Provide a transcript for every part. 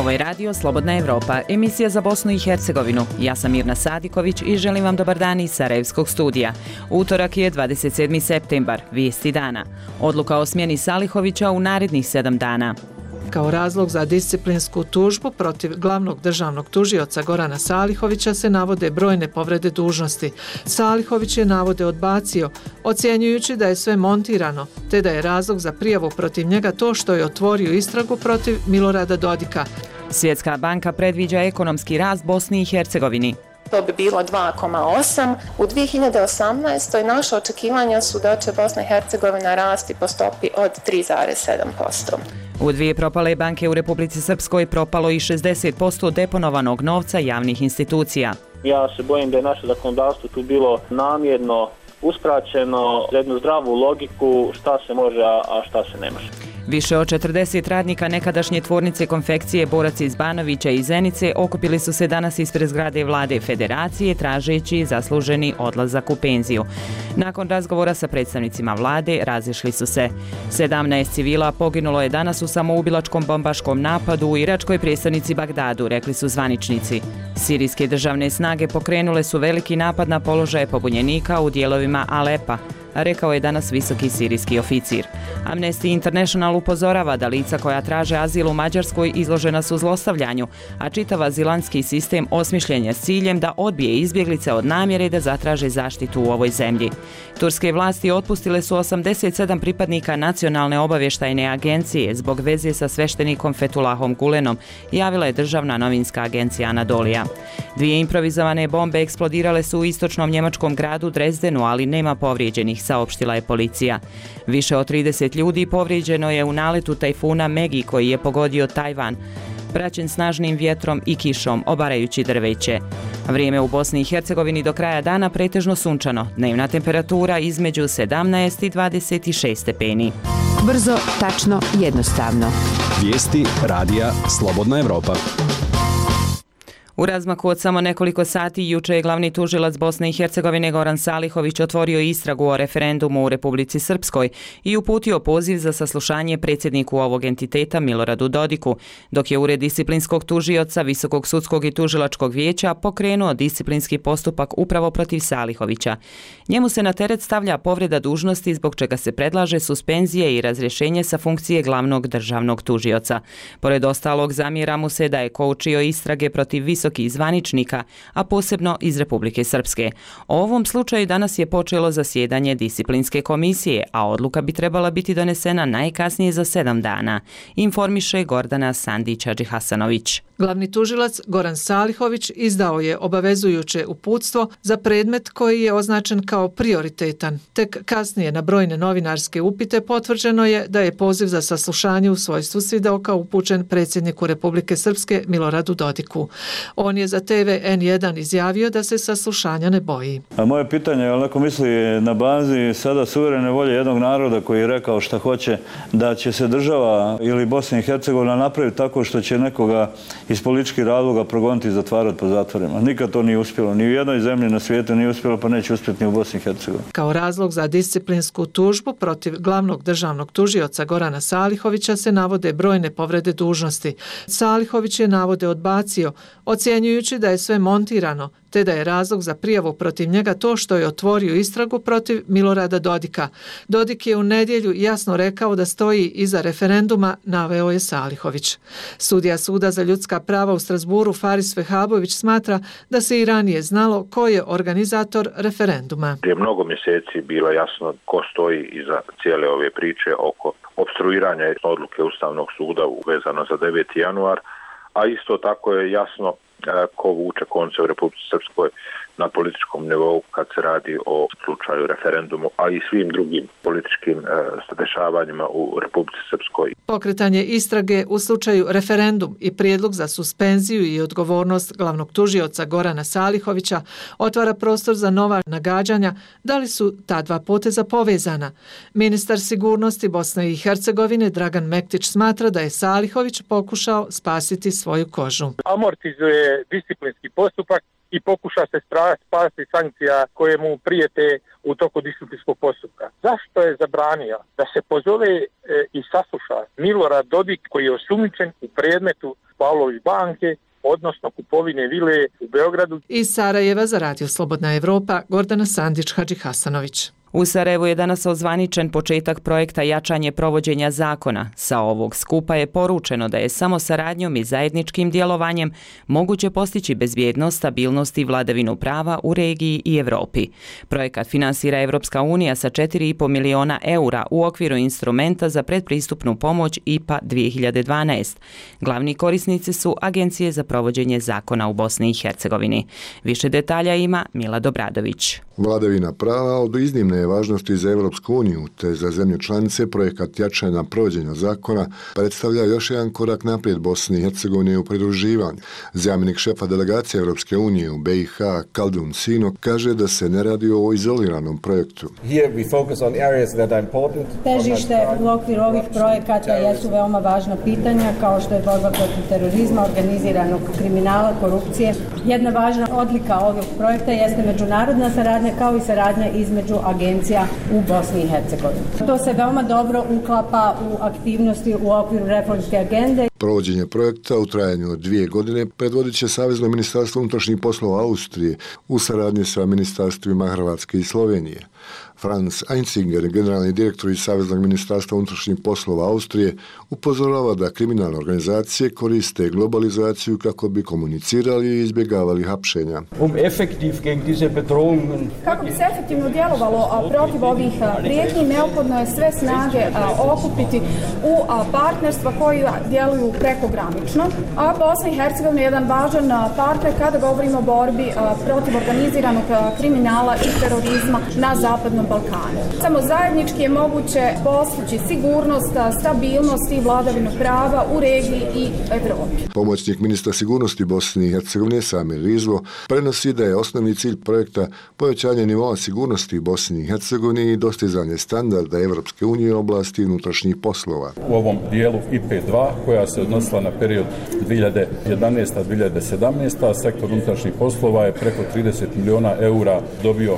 Ovo je radio Slobodna Evropa, emisija za Bosnu i Hercegovinu. Ja sam Mirna Sadiković i želim vam dobar dan iz Sarajevskog studija. Utorak je 27. septembar, vijesti dana. Odluka o smjeni Salihovića u narednih 7 dana. Kao razlog za disciplinsku tužbu protiv glavnog državnog tužioca Gorana Salihovića se navode brojne povrede dužnosti. Salihović je navode odbacio, ocjenjujući da je sve montirano, te da je razlog za prijavu protiv njega to što je otvorio istragu protiv Milorada Dodika. Svjetska banka predviđa ekonomski rast Bosni i Hercegovini. To bi bilo 2,8. U 2018. naše očekivanja su da će Bosna i Hercegovina rasti po stopi od 3,7%. U 2 propale banke u Republici Srpskoj propalo i 60% deponovanog novca javnih institucija. Ja se bojim da je naše zakonodavstvo tu bilo namjerno uskraćeno za jednu zdravu logiku šta se može, a šta se ne može. Više od 40 radnika nekadašnje tvornice konfekcije Borac iz Banovića i Zenice okupili su se danas ispred zgrade Vlade Federacije tražeći zasluženi odlazak u penziju. Nakon razgovora sa predstavnicima vlade razišli su se. 17 civila poginulo je danas u samoubilačkom bombaškom napadu u iračkoj prijestolnici Bagdadu, rekli su zvaničnici. Sirijske državne snage pokrenule su veliki napad na položaje pobunjenika u dijelovima Alepa, rekao je danas visoki sirijski oficir. Amnesty International upozorava da lica koja traže azil u Mađarskoj izložena su zlostavljanju, a čitav azilantski sistem osmišljen je s ciljem da odbije izbjeglice od namjere da zatraže zaštitu u ovoj zemlji. Turske vlasti otpustile su 87 pripadnika Nacionalne obavještajne agencije zbog veze sa sveštenikom Fethullahom Gulenom, javila je državna novinska agencija Anadolija. 2 improvizovane bombe eksplodirale su u istočnom njemačkom gradu Drezdenu, ali nema povrijeđenih, saopštila je policija. Više od 30 ljudi povrijeđeno je u naletu tajfuna Megi koji je pogodio Tajvan, praćen snažnim vjetrom i kišom, obarajući drveće. Vrijeme u Bosni i Hercegovini do kraja dana pretežno sunčano, dnevna temperatura između 17 i 26 stepeni. Brzo, tačno, jednostavno. Vijesti radija Slobodna Evropa. U razmaku od samo nekoliko sati juče je glavni tužilac Bosne i Hercegovine Goran Salihović otvorio istragu o referendumu u Republici Srpskoj i uputio poziv za saslušanje predsjedniku ovog entiteta Miloradu Dodiku, dok je Ured disciplinskog tužioca Visokog sudskog i tužilačkog vijeća pokrenuo disciplinski postupak upravo protiv Salihovića. Njemu se na teret stavlja povreda dužnosti zbog čega se predlaže suspenzije i razrješenje sa funkcije glavnog državnog tužioca. Pored ostalog, zamjera mu se da je koučio istrage protiv visokih zvaničnika, a posebno iz Republike Srpske. O ovom slučaju danas je počelo zasjedanje disciplinske komisije, a odluka bi trebala biti donesena najkasnije za 7 dana, informiše Gordana Sandić-Hadžihasanović. Glavni tužilac Goran Salihović izdao je obavezujuće uputstvo za predmet koji je označen kao prioritetan. Tek kasnije na brojne novinarske upite potvrđeno je da je poziv za saslušanje u svojstvu svjedoka upućen predsjedniku Republike Srpske Miloradu Dodiku. On je za TV N1 izjavio da se saslušanja ne boji. A moje pitanje je, ali neko misli na bazi sada suverene volje jednog naroda koji je rekao šta hoće, da će se država ili Bosna i Hercegovina napraviti tako što će nekoga iz političkih razloga progoniti i zatvarati po zatvorima. Nikad to nije uspjelo. Ni u jednoj zemlji na svijetu nije uspjelo, pa neće uspjeti ni u Bosni i Hercegovini. Kao razlog za disciplinsku tužbu protiv glavnog državnog tužioca Gorana Salihovića se navode brojne povrede dužnosti. Salihović je navode odbacio, ocjenjujući da je sve montirano, te da je razlog za prijavu protiv njega to što je otvorio istragu protiv Milorada Dodika. Dodik je u nedjelju jasno rekao da stoji iza referenduma, naveo je Salihović. Sudija Suda za ljudska prava u Strasburu Faris Vehabović smatra da se i ranije znalo ko je organizator referenduma. Prije mnogo mjeseci bilo jasno ko stoji iza cijele ove priče oko opstruiranja odluke Ustavnog suda vezano za 9. januar, a isto tako je jasno ko vuče konce u Republici Srpskoj na političkom nivou kad se radi o slučaju referendumu, a i svim drugim političkim dešavanjima u Republici Srpskoj. Pokretanje istrage u slučaju referendum i prijedlog za suspenziju i odgovornost glavnog tužioca Gorana Salihovića otvara prostor za nova nagađanja da li su ta dva poteza povezana. Ministar sigurnosti Bosne i Hercegovine Dragan Mektić smatra da je Salihović pokušao spasiti svoju kožu. Amortizuje disciplinski postupak i pokuša se spasti sankcija koje mu prijete u toku disciplinskog postupka. Zašto je zabranio da se pozove i sasluša Milorad Dodik koji je osumnjičen u predmetu Pavlović banke, odnosno kupovine vile u Beogradu. Iz Sarajeva za Radio Slobodna Evropa, Gordana Sandić-Hadži-Hasanović. U Sarajevu je danas ozvaničen početak projekta jačanje provođenja zakona. Sa ovog skupa je poručeno da je samo saradnjom i zajedničkim djelovanjem moguće postići bezbjednost, stabilnost i vladavinu prava u regiji i Evropi. Projekat finansira Evropska unija sa 4,5 miliona eura u okviru instrumenta za predpristupnu pomoć IPA 2012. Glavni korisnici su Agencije za provođenje zakona u Bosni i Hercegovini. Više detalja ima Milad Obradović. Vladavina prava od iznimne je važnosti za Evropsku uniju, te za zemlje članice projekat jačanja provođenja zakona predstavlja još jedan korak naprijed Bosne i Hercegovine u pridruživanju. Zamjenik šefa delegacije Evropske unije u BiH Kaldun Sino kaže da se ne radi o izoliranom projektu. Težište u okviru ovih projekata jesu veoma važna pitanja kao što je borba protiv terorizma, organiziranog kriminala, korupcije. Jedna važna odlika ovog projekta jeste međunarodna saradnja kao i saradnja između agencija u Bosni i Hercegovini. To se veoma dobro uklapa u aktivnosti u okviru reformske agende. Provođenje projekta u trajanju od 2 godine predvodit će Savezno ministarstvo unutrašnjih poslova Austrije u saradnji sa ministarstvima Hrvatske i Slovenije. Franz Einziger, generalni direktor iz Saveznog ministarstva unutrašnjih poslova Austrije, upozorava da kriminalne organizacije koriste globalizaciju kako bi komunicirali i izbjegavali hapšenja. Kako bi se efektivno djelovalo protiv ovih prijetnji, neophodno je sve snage okupiti u partnerstva koji djeluju prekogranično. A Bosna i Hercegovina je jedan važan partner kada govorimo o borbi protiv organiziranog kriminala i terorizma na Zapadnom Balkanu. Samo zajednički je moguće postići sigurnost, stabilnost i vladavinu prava u regiji i Evropi. Pomoćnik ministra sigurnosti Bosne i Hercegovine Samir Rizvo prenosi da je osnovni cilj projekta povećanje nivoa sigurnosti u Bosni i Hercegovini i dostizanje standarda Evropske unije u oblasti unutrašnjih poslova. U ovom dijelu IP2 koja se odnosila na period 2011-2017, sektor unutrašnjih poslova je preko 30 miliona eura dobio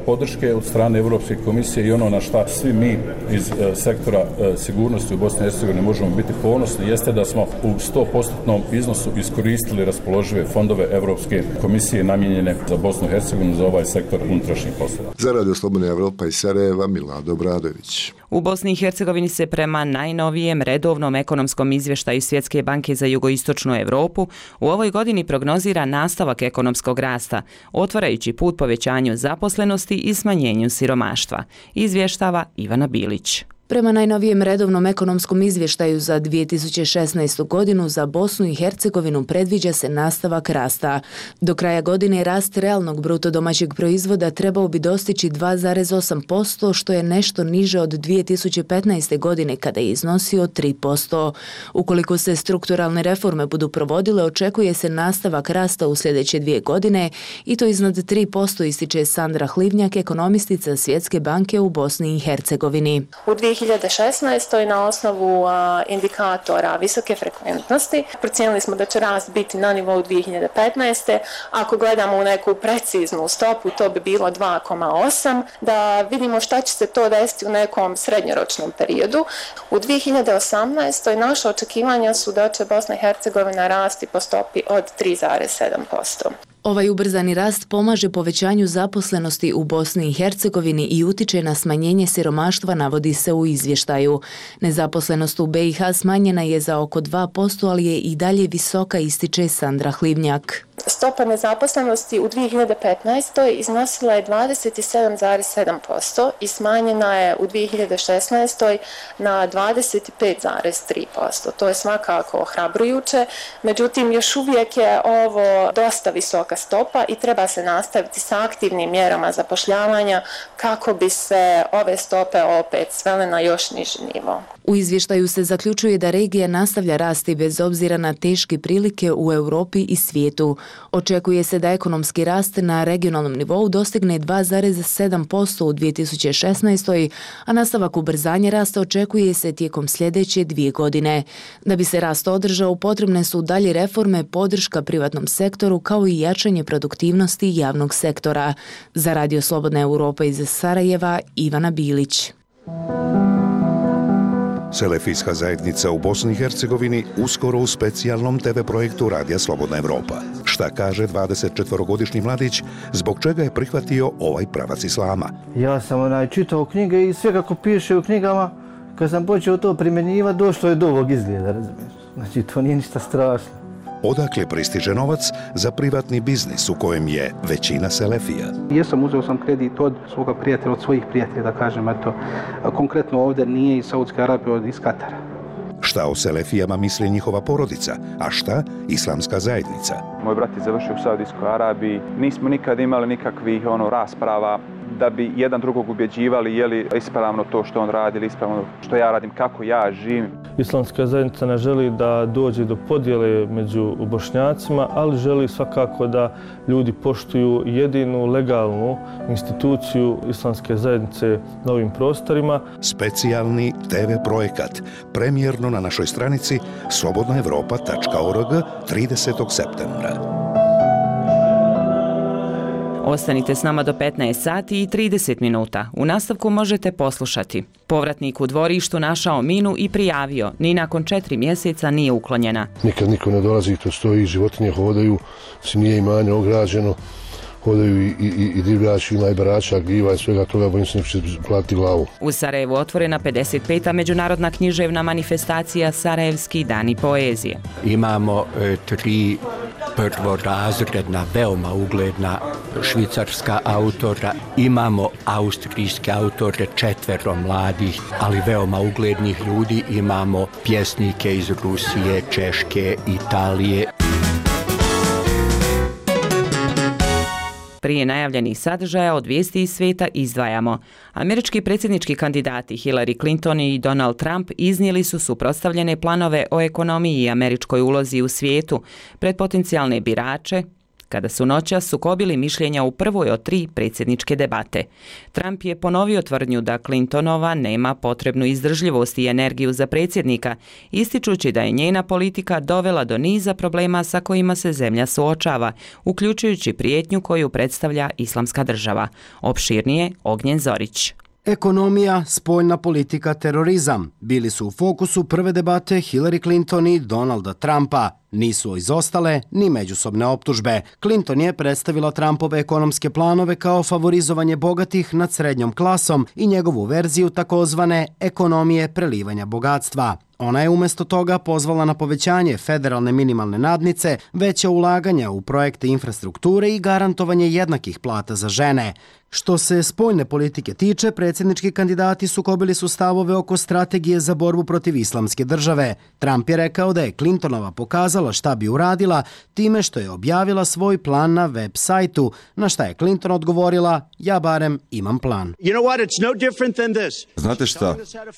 podrške od strane Europske komisije i ono na šta svi mi iz sektora sigurnosti u Bosni i Hercegovini možemo biti ponosni jeste da smo u 100% iznosu iskoristili raspoložive fondove Europske komisije namijenjene za Bosnu i Hercegovinu za ovaj sektor unutrašnjih poslova. Za Radio Slobodna Evropa iz Sarajeva, Milad Obradović. U Bosni i Hercegovini se prema najnovijem redovnom ekonomskom izvještaju Svjetske banke za jugoistočnu Europu u ovoj godini prognozira nastavak ekonomskog rasta, otvarajući put povećanju zaposlenosti i smanjenju siromaštva, izvještava Ivana Bilić. Prema najnovijem redovnom ekonomskom izvještaju za 2016. godinu za Bosnu i Hercegovinu predviđa se nastavak rasta. Do kraja godine rast realnog bruto domaćeg proizvoda trebao bi dostići 2,8%, što je nešto niže od 2015. godine kada je iznosio 3%. Ukoliko se strukturalne reforme budu provodile, očekuje se nastavak rasta u sljedeće 2 godine i to iznad 3%, ističe Sandra Hlivnjak, ekonomistica Svjetske banke u Bosni i Hercegovini. U 2016. na osnovu indikatora visoke frekventnosti procijenili smo da će rast biti na nivou 2015. Ako gledamo u neku preciznu stopu, to bi bilo 2,8. Da vidimo šta će se to desiti u nekom srednjoročnom periodu. U 2018. naše očekivanja su da će Bosna i Hercegovina rasti po stopi od 3,7%. Ovaj ubrzani rast pomaže povećanju zaposlenosti u Bosni i Hercegovini i utiče na smanjenje siromaštva, navodi se u izvještaju. Nezaposlenost u BiH smanjena je za oko 2%, ali je i dalje visoka, ističe Sandra Hlivnjak. Stopa nezaposlenosti u 2015. iznosila je 27,7% i smanjena je u 2016. na 25,3%. To je svakako ohrabrujuće, međutim još uvijek je ovo dosta visoka stopa i treba se nastaviti sa aktivnim mjerama zapošljavanja kako bi se ove stope opet svele na još niži nivo. U izvještaju se zaključuje da regija nastavlja rasti bez obzira na teške prilike u Europi i svijetu. Očekuje se da ekonomski rast na regionalnom nivou dostigne 2,7% u 2016. a nastavak ubrzanja rasta očekuje se tijekom sljedeće 2 godine. Da bi se rast održao, potrebne su dalje reforme, podrška privatnom sektoru kao i jačanje produktivnosti javnog sektora. Za Radio Slobodna Europa iz Sarajeva, Ivana Bilić. Selefijska zajednica u Bosni i Hercegovini uskoro u specijalnom TV projektu Radija Slobodna Evropa. Šta kaže 24-godišnji mladić, zbog čega je prihvatio ovaj pravac islama? Ja sam čitao knjige i sve kako piše u knjigama, kad sam počeo to primjenjivati, došlo je do ovog izgleda, razumiješ? Znači, to nije ništa strašno. Odakle pristiže novac za privatni biznis u kojem je većina selefija? Uzeo sam kredit od svoga prijatelja, od svojih prijatelja, da kažem, eto, konkretno ovdje nije iz Saudske Arabije, iz Katara. Šta o selefijama misli njihova porodica, a šta islamska zajednica? Moj brat je završio u Saudijskoj Arabiji, nismo nikad imali nikakvih rasprava da bi jedan drugog ubjeđivali je li ispravno to što on radi ili ispravno što ja radim, kako ja živim. Islamska zajednica ne želi da dođe do podjele među Bošnjacima, ali želi svakako da ljudi poštuju jedinu legalnu instituciju islamske zajednice na ovim prostorima. Specijalni TV projekat, premijerno na našoj stranici slobodnaevropa.org 30. septembra. Ostanite s nama do 15 sati i 30 minuta. U nastavku možete poslušati. Povratnik u dvorištu našao minu i prijavio. Ni nakon 4 mjeseca nije uklonjena. Nikad niko ne dolazi, to stoji, životinje hodaju, nije imanje ograđeno, hodaju i divljači, ima i barača, gljiva i svega toga, bojim se neće platiti glavu. U Sarajevu otvorena 55. međunarodna književna manifestacija Sarajevski dani poezije. Imamo 3 prvorazredna, veoma ugledna švicarska autora, imamo austrijske autore, 4 mladih, ali veoma uglednih ljudi, imamo pjesnike iz Rusije, Češke, Italije. Prije najavljenih sadržaja od vijesti iz svijeta izdvajamo. Američki predsjednički kandidati Hillary Clinton i Donald Trump iznijeli su suprotstavljene planove o ekonomiji i američkoj ulozi u svijetu pred potencijalne birače, kada su noćas sukobili mišljenja u prvoj od 3 predsjedničke debate. Trump je ponovio tvrdnju da Clintonova nema potrebnu izdržljivost i energiju za predsjednika, ističući da je njena politika dovela do niza problema sa kojima se zemlja suočava, uključujući prijetnju koju predstavlja Islamska država. Opširnije Ognjen Zorić. Ekonomija, spoljna politika, terorizam bili su u fokusu prve debate Hillary Clinton i Donalda Trumpa. Nisu izostale ni međusobne optužbe. Clinton je predstavila Trumpove ekonomske planove kao favorizovanje bogatih nad srednjom klasom i njegovu verziju takozvane ekonomije prelivanja bogatstva. Ona je umjesto toga pozvala na povećanje federalne minimalne nadnice, veće ulaganja u projekte infrastrukture i garantovanje jednakih plata za žene. Što se spoljne politike tiče, predsjednički kandidati sukobili su stavove oko strategije za borbu protiv islamske države. Trump je rekao da je Clintonova pokazala šta bi uradila time što je objavila svoj plan na web sajtu, na šta je Clinton odgovorila: ja barem imam plan. Znate šta?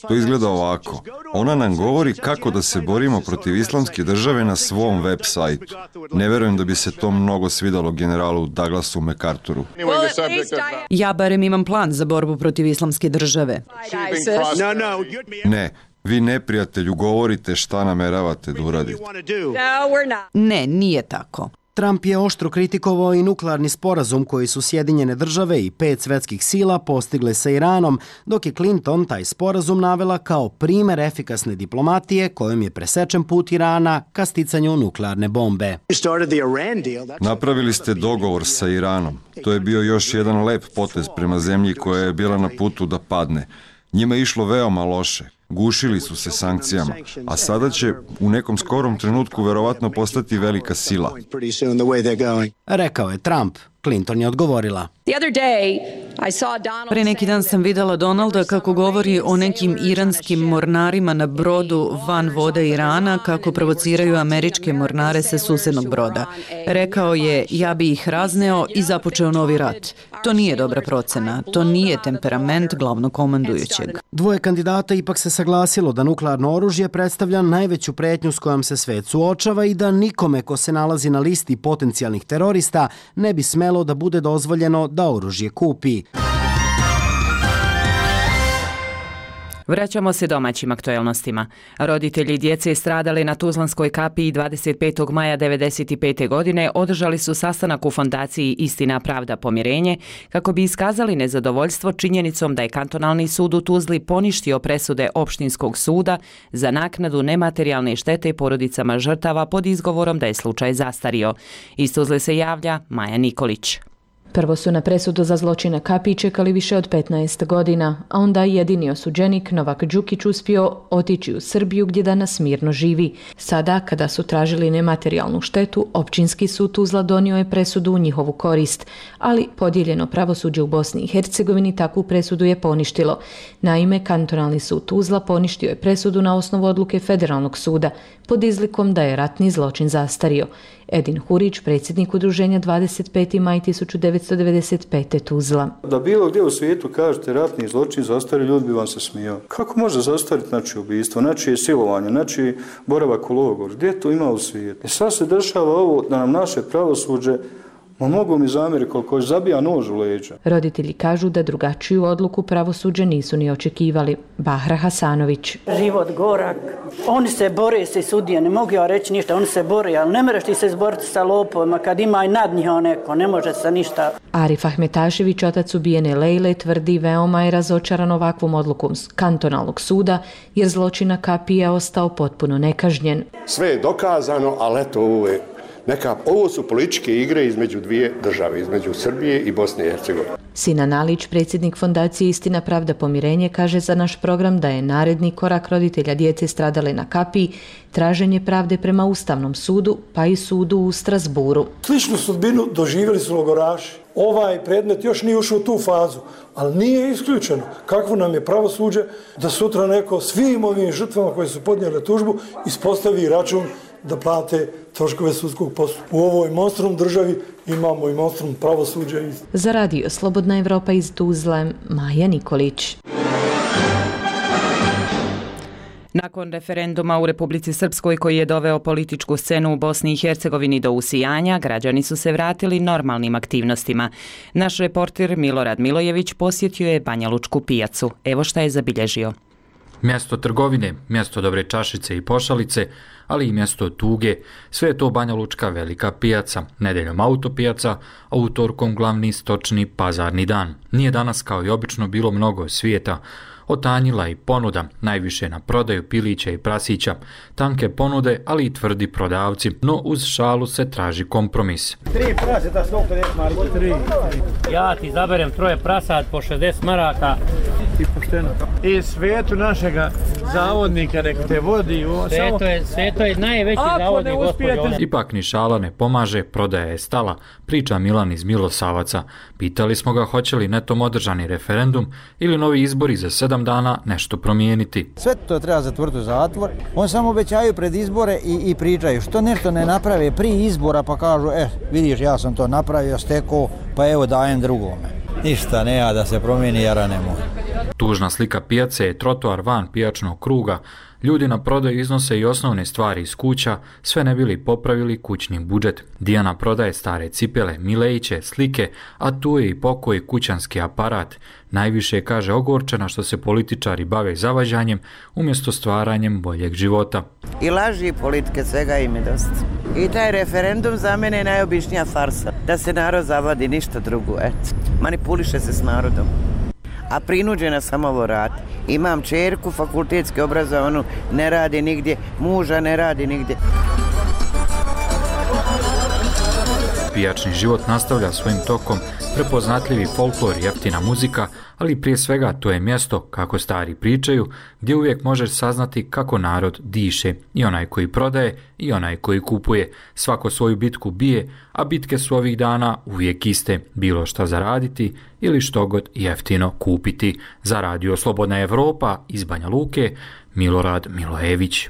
To izgleda ovako. Ona nam govori kako da se borimo protiv islamske države na svom web sajtu. Ne verujem da bi se to mnogo svidalo generalu Douglasu MacArthuru. Ja barem imam plan za borbu protiv islamske države. Ne, vi neprijatelju govorite šta nameravate da uradite. Ne, nije tako. Trump je oštro kritikovao i nuklearni sporazum koji su Sjedinjene države i 5 svetskih sila postigle sa Iranom, dok je Clinton taj sporazum navela kao primer efikasne diplomatije kojom je presečen put Irana ka sticanju nuklearne bombe. Napravili ste dogovor sa Iranom. To je bio još jedan lep potez prema zemlji koja je bila na putu da padne. Njima je išlo veoma loše. Gušili su se sankcijama, a sada će u nekom skorom trenutku verovatno postati velika sila. Rekao je Trump. Clinton je odgovorila: pre neki dan sam videla Donalda kako govori o nekim iranskim mornarima na brodu van vode Irana, kako provociraju američke mornare sa susednog broda. Rekao je: ja bi ih razneo i započeo novi rat. To nije dobra procena, to nije temperament glavnokomandujućeg. Dvoje kandidata ipak se saglasilo da nuklearno oružje predstavlja najveću pretnju s kojom se svet suočava i da nikome ko se nalazi na listi potencijalnih terorista ne bi smelo da bude dozvoljeno da oružje kupi. Vraćamo se domaćim aktuelnostima. Roditelji djece stradali na Tuzlanskoj kapiji 25. maja 1995. godine održali su sastanak u fondaciji Istina, pravda, pomirenje kako bi iskazali nezadovoljstvo činjenicom da je kantonalni sud u Tuzli poništio presude opštinskog suda za naknadu nematerijalne štete porodicama žrtava pod izgovorom da je slučaj zastario. Iz Tuzle se javlja Maja Nikolić. Prvo su na presudu za zločin na kapiji čekali više od 15 godina, a onda jedini osuđenik Novak Đukić uspio otići u Srbiju gdje danas mirno živi. Sada, kada su tražili nematerijalnu štetu, općinski sud Tuzla donio je presudu u njihovu korist, ali podijeljeno pravosuđe u Bosni i Hercegovini takvu presudu je poništilo. Naime, kantonalni sud Tuzla poništio je presudu na osnovu odluke Federalnog suda pod izlikom da je ratni zločin zastario. Edin Hurić, predsjednik udruženja 25. maj 1995. Tuzla. Da bilo gdje u svijetu kažete ratni zločin zastario, ljudi bi vam se smijao. Kako može zastariti znači ubistvo, znači silovanje, znači boravak u logoru? Gdje to ima u svijetu? Sad se dešava ovo da nam naše pravosuđe mogu mi zamjeriti koliko zabija nož u leđa. Roditelji kažu da drugačiju odluku pravosuđa nisu ni očekivali. Bahra Hasanović. Život gorak. Oni se bore se sudije, ne mogu ja reći ništa, oni se bore, ali ne možeš ti se izboriti sa lopovima kad ima i nad njih neko, ne može se ništa. Arif Ahmetašević, otac ubijene Lejle, tvrdi veoma je razočaran ovakvom odlukom kantonalnog suda jer zločin na kapiji je ostao potpuno nekažnjen. Sve je dokazano, ali eto ovo su političke igre između dvije države, između Srbije i Bosne i Hercegovine. Sinan Alić, predsjednik fondacije Istina, pravda, pomirenje, kaže za naš program da je naredni korak roditelja djece stradale na kapiji traženje pravde prema Ustavnom sudu, pa i sudu u Strasburu. Sličnu sudbinu doživjeli su logoraši. Ovaj predmet još nije ušao u tu fazu, ali nije isključeno kakvo nam je pravosuđe da sutra neko svim ovim žrtvama koje su podnijele tužbu ispostavi račun da plate troškove sudskog postupka. U ovoj monstrum državi imamo i monstrum pravosuđa. Za radio Slobodna Evropa iz Tuzle, Maja Nikolić. Nakon referenduma u Republici Srpskoj koji je doveo političku scenu u Bosni i Hercegovini do usijanja, građani su se vratili normalnim aktivnostima. Naš reporter Milorad Milojević posjetio je Banja Lučku pijacu. Evo šta je zabilježio. Mjesto trgovine, mjesto dobre čašice i pošalice, ali i mjesto tuge, sve je to Banja Lučka velika pijaca, nedeljom autopijaca, a utorkom glavni stočni pazarni dan. Nije danas kao i obično bilo mnogo svijeta, otanjila i ponuda, najviše na prodaju pilića i prasića, tanke ponude, ali i tvrdi prodavci, no uz šalu se traži kompromis. 3 praseta 150 maraka. 3. Ja ti zaberem 3 prasat po 60 maraka. I pošteno. I svetu našega zavodnika nek te vodi. Sveto je najveći zavodnik, gospođo. Ipak ni šala ne pomaže, prodaja je stala, priča Milan iz Milosavaca. Pitali smo ga hoće li netom održani referendum ili novi izbori za 7 dana nešto promijeniti. Sve to treba zatvoriti u zatvor. On samo obećaju pred izbore i pričaju. Što nešto ne naprave prije izbora pa kažu vidiš ja sam to napravio, stekao, pa evo dajem drugome. Ništa nema da se promijeni, jara ne može. Tužna slika pijace je trotoar van pijačnog kruga. Ljudi na prodaju iznose i osnovne stvari iz kuća, sve ne bili popravili kućni budžet. Dijana prodaje stare cipele, milejiće, slike, a tu je i pokoj kućanski aparat. Najviše je, kaže, ogorčena što se političari bave zavađanjem umjesto stvaranjem boljeg života. I laži i politike, svega im je dosta. I taj referendum za mene je najobičnija farsa. Da se narod zavadi, ništa drugo, manipuliše se s narodom. A prinuđena sam ovo radi. Imam čerku, fakultetski obrazovanu, ne radi nigdje, muža ne radi nigdje. Pijačni život nastavlja svojim tokom, prepoznatljivi folklor, jeftina muzika, ali prije svega to je mjesto, kako stari pričaju, gdje uvijek možeš saznati kako narod diše, i onaj koji prodaje i onaj koji kupuje. Svako svoju bitku bije, a bitke su ovih dana uvijek iste, bilo šta zaraditi ili što god jeftino kupiti. Za radio Slobodna Evropa iz Banja Luke, Milorad Milojević.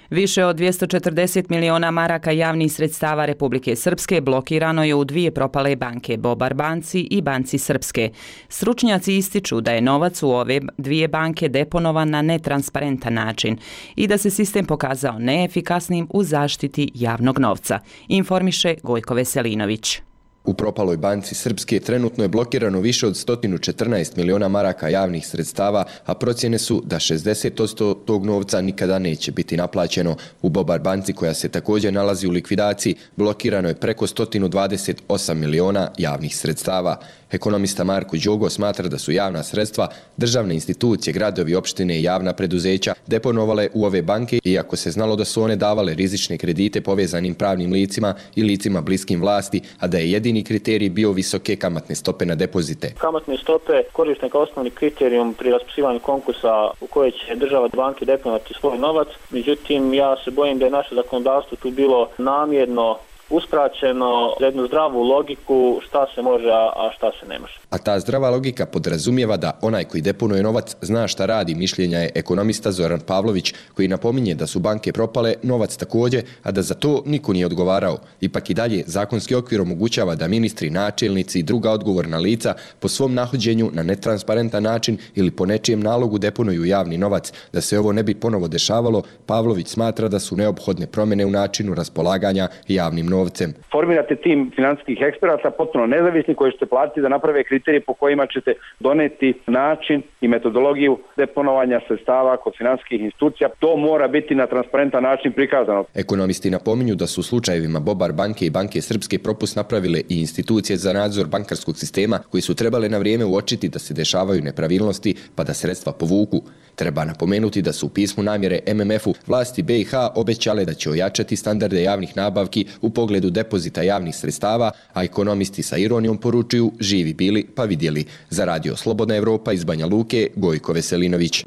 Više od 240 miliona maraka javnih sredstava Republike Srpske blokirano je u 2 propale banke, Bobar banci i Banci Srpske. Stručnjaci ističu da je novac u ove 2 banke deponovan na netransparentan način i da se sistem pokazao neefikasnim u zaštiti javnog novca, informiše Gojko Veselinović. U propaloj banci Srpske trenutno je blokirano više od 114 miliona maraka javnih sredstava, a procjene su da 60% tog novca nikada neće biti naplaćeno. U Bobar banci, koja se također nalazi u likvidaciji, blokirano je preko 128 miliona javnih sredstava. Ekonomista Marko Đogo smatra da su javna sredstva državne institucije, gradovi, opštine i javna preduzeća deponovale u ove banke, iako se znalo da su one davale rizične kredite povezanim pravnim licima i licima bliskim vlasti, a da je jedini kriterij bio visoke kamatne stope na depozite. Kamatne stope koriste kao osnovni kriterijum pri raspisivanju konkursa u kojoj će država banke deponovati svoj novac. Međutim, ja se bojim da je naše zakonodavstvo tu bilo namjerno uskraćeno za jednu zdravu logiku šta se može, a šta se ne može. A ta zdrava logika podrazumijeva da onaj koji deponuje novac zna šta radi, mišljenja je ekonomista Zoran Pavlović, koji napominje da su banke propale, novac također, a da za to niko nije odgovarao. Ipak i dalje zakonski okvir omogućava da ministri, načelnici i druga odgovorna lica po svom nahođenju na netransparentan način ili po nečijem nalogu deponuju javni novac. Da se ovo ne bi ponovo dešavalo, Pavlović smatra da su neophodne promjene u načinu raspolaganja javnim novcem. Formirate tim financijskih eksperata potpuno nezavisni koji ćete platiti da naprave kriterije po kojima ćete doneti način i metodologiju deponovanja sredstava kod financijskih institucija. To mora biti na transparentan način prikazano. Ekonomisti napominju da su u slučajevima Bobar banke i banke Srpske propust napravile i institucije za nadzor bankarskog sistema koji su trebale na vrijeme uočiti da se dešavaju nepravilnosti pa da sredstva povuku. Treba napomenuti da su u pismu namjere MMF-u vlasti BiH obećale da će ojačati standarde javnih nabavki u pogledu depozita javnih sredstava, a ekonomisti sa ironijom poručuju živi bili pa vidjeli. Za Radio Slobodna Evropa iz Banja Luke, Gojko Veselinović.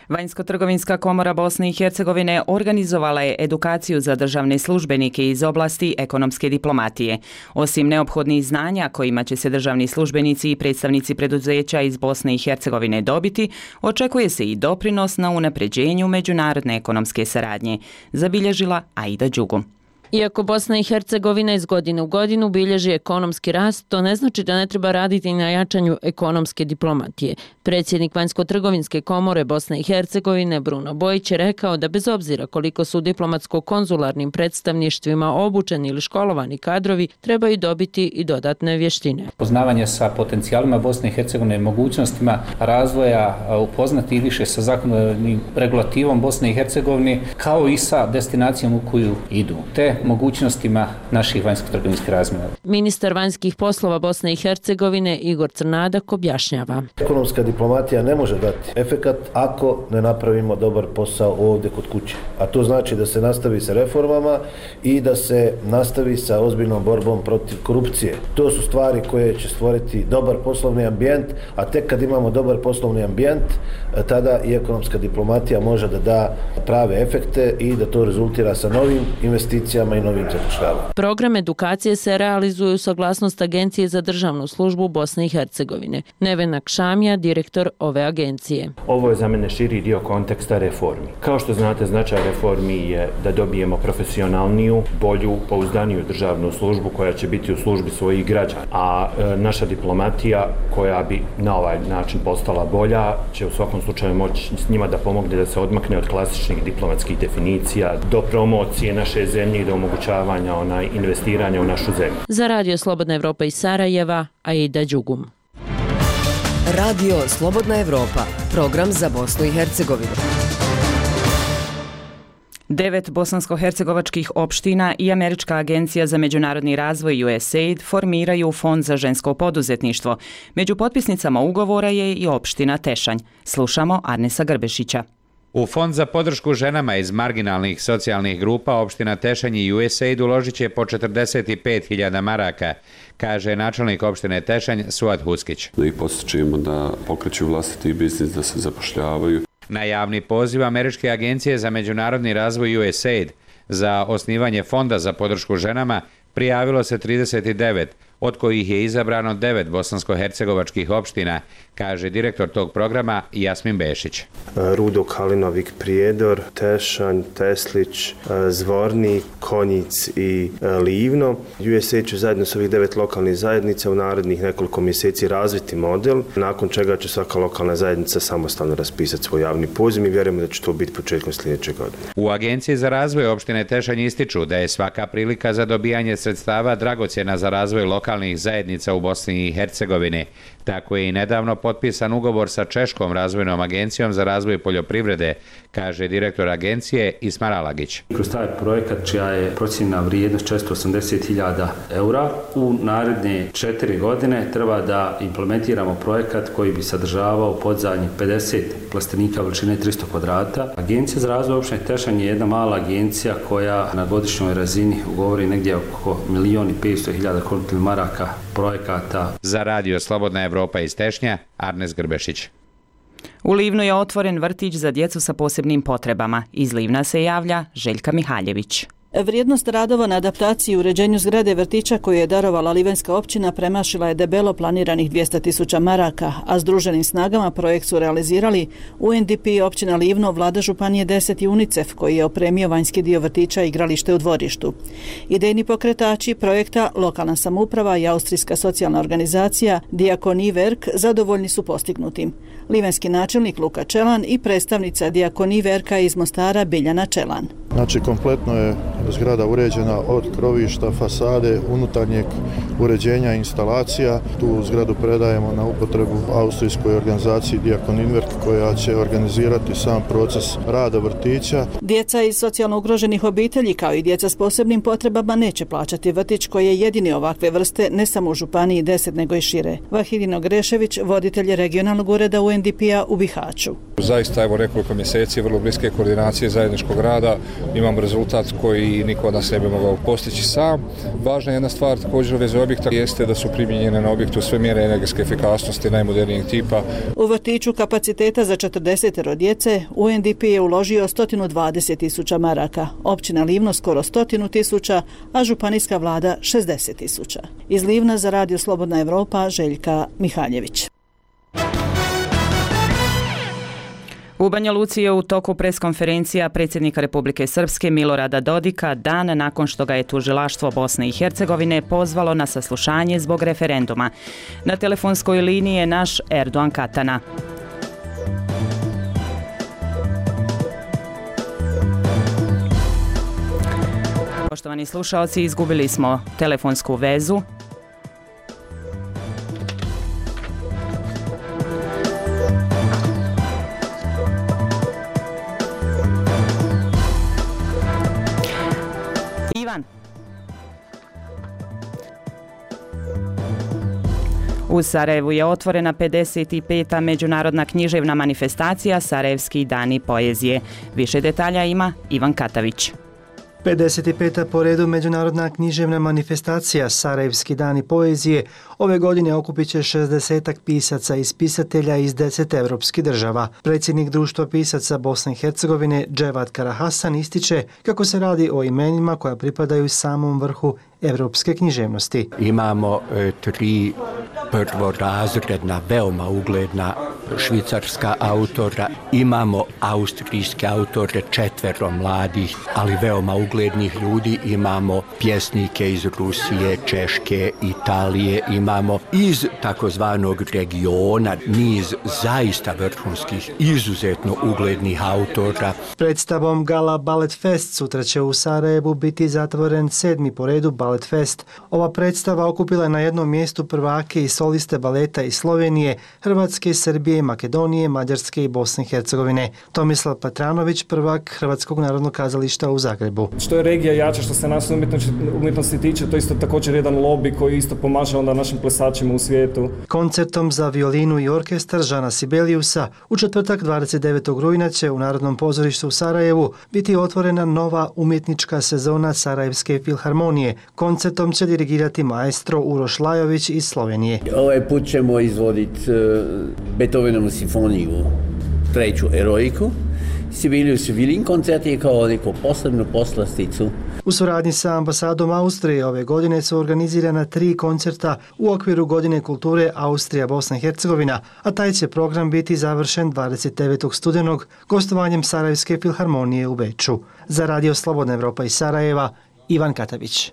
Vanjsko-trgovinska komora Bosne i Hercegovine organizovala je edukaciju za državne službenike iz oblasti ekonomske diplomatije. Osim neophodnih znanja kojima će se državni službenici i predstavnici preduzeća iz Bosne i Hercegovine dobiti, očekuje se i doprinos na unapređenju međunarodne ekonomske saradnje, zabilježila Aida Đugu. Iako Bosna i Hercegovina iz godine u godinu bilježi ekonomski rast, to ne znači da ne treba raditi na jačanju ekonomske diplomatije. Predsjednik Vanjsko-trgovinske komore Bosne i Hercegovine Bruno Bojić je rekao da bez obzira koliko su diplomatsko-konzularnim predstavništvima obučeni ili školovani kadrovi, trebaju dobiti i dodatne vještine. Poznavanje sa potencijalima Bosne i Hercegovine, mogućnostima razvoja, upoznati i više sa zakonodavnim regulativom Bosne i Hercegovine, kao i sa destinacijom u koju idu, te mogućnostima naših vanjsko-trgovinskih razmjena. Ministar vanjskih poslova Bosne i Hercegovine Igor Crnadak objašnjava. Ekonomska diplomatija ne može dati efekat ako ne napravimo dobar posao ovdje kod kuće. A to znači da se nastavi sa reformama i da se nastavi sa ozbiljnom borbom protiv korupcije. To su stvari koje će stvoriti dobar poslovni ambijent, a tek kad imamo dobar poslovni ambijent, tada i ekonomska diplomatija može da da prave efekte i da to rezultira sa novim investicijama i novim zapošljavanjem. Program edukacije se realizuje u saglasnost Agencije za državnu službu Bosne i Hercegovine. Nevena Kšamija, direktor ove agencije. Ovo je za mene širi dio konteksta reformi. Kao što znate, značaj reformi je da dobijemo profesionalniju, bolju, pouzdaniju državnu službu koja će biti u službi svojih građana. A naša diplomatija koja bi na ovaj način postala bolja će u svakom slučaju moći s njima da pomogne da se odmakne od klasičnih diplomatskih definicija do promocije naše zemlje i do omogućavanja investiranja u našu zemlju. Za Radio Slobodna Evropa iz Sarajeva, Aida Đugum. Radio Slobodna Evropa, program za Bosnu i Hercegovinu. 9 bosansko-hercegovačkih opština i Američka agencija za međunarodni razvoj USAID formiraju Fond za žensko poduzetništvo. Među potpisnicama ugovora je i opština Tešanj. Slušamo Arnesa Grbešića. U Fond za podršku ženama iz marginalnih socijalnih grupa opština Tešanj i USAID uložit će po 45.000 maraka, kaže načelnik opštine Tešanj Suad Huskić. Da ih postičemo da pokreću vlastiti biznis, da se zapošljavaju. Na javni poziv Američke agencije za međunarodni razvoj USAID za osnivanje Fonda za podršku ženama prijavilo se 39, od kojih je izabrano 9 bosansko-hercegovačkih opština, kaže direktor tog programa Jasmin Bešić. Rudo, Kalinovik, Prijedor, Tešanj, Teslić, Zvornik, Konjic i Livno. USAID će zajedno s ovih 9 lokalnih zajednica u narednih nekoliko mjeseci razviti model, nakon čega će svaka lokalna zajednica samostalno raspisati svoj javni poziv i vjerujemo da će to biti početkom sljedeće godine. U Agenciji za razvoj opštine Tešanj ističu da je svaka prilika za dobijanje sredstava dragocjena za razvoj lokalnih lokalnih zajednica u Bosni i Hercegovini. Tako je i nedavno potpisan ugovor sa Češkom razvojnom agencijom za razvoj poljoprivrede, kaže direktor agencije Ismar Alagić. Kroz taj projekat, čija je procijenjena vrijednost 480.000 eura, u naredne 4 godine treba da implementiramo projekat koji bi sadržavao podzadnjih 50 plastenika veličine 300 kvadrata. Agencija za razvoj opštine Tešanj je jedna mala agencija koja na godišnjoj razini ugovori negdje oko 1.500.000 kontinualnih maraka projekata. Za radio Slobodna Evropa iz Tešnja, Arnes Grbešić. U Livnu je otvoren vrtić za djecu sa posebnim potrebama. Iz Livna se javlja Željka Mihaljević. Vrijednost radova na adaptaciji i uređenju zgrade vrtića koju je darovala Livenska općina premašila je debelo planiranih 200.000 maraka, a združenim snagama projekt su realizirali UNDP, općina Livno, vlada Županije 10 i UNICEF koji je opremio vanjski dio vrtića i igralište u dvorištu. Idejni pokretači projekta, lokalna samouprava i austrijska socijalna organizacija Diakonie Werk zadovoljni su postignutim. Livenski načelnik Luka Čelan i predstavnica Diakonie Werka iz Mostara Biljana Čelan. Znači, kompletno je zgrada uređena od krovišta, fasade, unutarnjeg uređenja instalacija. Tu zgradu predajemo na upotrebu austrijskoj organizaciji Diakonie Werk koja će organizirati sam proces rada vrtića. Djeca iz socijalno ugroženih obitelji kao i djeca s posebnim potrebama neće plaćati vrtić koji je jedini ovakve vrste ne samo u Županiji 10 nego i šire. Vahidino Grešević, voditelj regionalnog ureda UNDP-a u Bihaću. Zaista evo nekoliko mjeseci vrlo bliske koordinacije zajedničkog rada imamo rezultat koji niko od nas ne bi mogao postići sam. Važna jedna stvar također u vezi objekta jeste da su primijenjene na objektu sve mjere energetske efikasnosti najmodernijeg tipa. U vrtiću kapaciteta za 40 djece UNDP je uložio 120.000 maraka, općina Livno skoro 100.000, a županijska vlada 60.000. Iz Livna za radio Slobodna Evropa Željka Mihaljević. U Banja Luci je u toku preskonferencija predsjednika Republike Srpske Milorada Dodika dan nakon što ga je tužilaštvo Bosne i Hercegovine pozvalo na saslušanje zbog referenduma. Na telefonskoj liniji je naš Erdogan Katana. Poštovani slušaoci, izgubili smo telefonsku vezu. U Sarajevu je otvorena 55. međunarodna književna manifestacija Sarajevski dani poezije. Više detalja ima Ivan Katavić. 55. po redu međunarodna književna manifestacija Sarajevski dani poezije ove godine okupit će 60 pisaca i spisatelja iz 10 evropskih država. Predsjednik društva pisaca Bosne i Hercegovine Dževat Karahasan ističe kako se radi o imenima koja pripadaju samom vrhu evropske književnosti. Imamo 3 prvorazredna, veoma ugledna švicarska autora, imamo austrijske autore, 4 mladih, ali veoma uglednih ljudi, imamo pjesnike iz Rusije, Češke, Italije, imamo iz takozvanog regiona niz zaista vrhunskih, izuzetno uglednih autora. Predstavom Gala Ballet Fest sutra će u Sarajevu biti zatvoren 7. po redu Ballet Fest. Ova predstava okupila je na jednom mjestu prvake i soliste baleta iz Slovenije, Hrvatske, Srbije, Makedonije, Mađarske i Bosne i Hercegovine. Tomislav Patranović, prvak Hrvatskog narodnog kazališta u Zagrebu. Što je regija jača, što se nas umjetnosti tiče, to isto također jedan lobby koji isto pomaže onda našim plesačima u svijetu. Koncertom za violinu i orkestar Žana Sibeliusa u četvrtak 29. rujna će u Narodnom pozorištu u Sarajevu biti otvorena nova umjetnička sezona Sarajevske filharmonije. Koncertom će dirigirati maestro Uroš Lajović iz Slovenije. Ovaj put ćemo izvoditi Beethovenovu simfoniju, 3. Eroiku. Sibelius Violin koncert je kao neku posebnu poslasticu. U suradnji sa ambasadom Austrije ove godine su organizirana 3 koncerta u okviru Godine kulture Austrija Bosna i Hercegovina, a taj će program biti završen 29. studenog gostovanjem Sarajevske filharmonije u Beču. Za radio Slobodna Evropa iz Sarajeva, Ivan Katavić.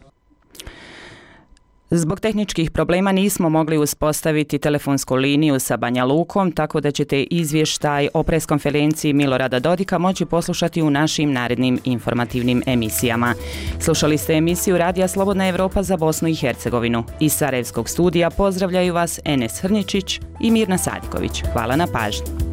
Zbog tehničkih problema nismo mogli uspostaviti telefonsku liniju sa Banja Lukom, tako da ćete izvještaj o preskonferenciji Milorada Dodika moći poslušati u našim narednim informativnim emisijama. Slušali ste emisiju Radija Slobodna Evropa za Bosnu i Hercegovinu. Iz Sarajevskog studija pozdravljaju vas Enes Hrničić i Mirna Sadiković. Hvala na pažnji.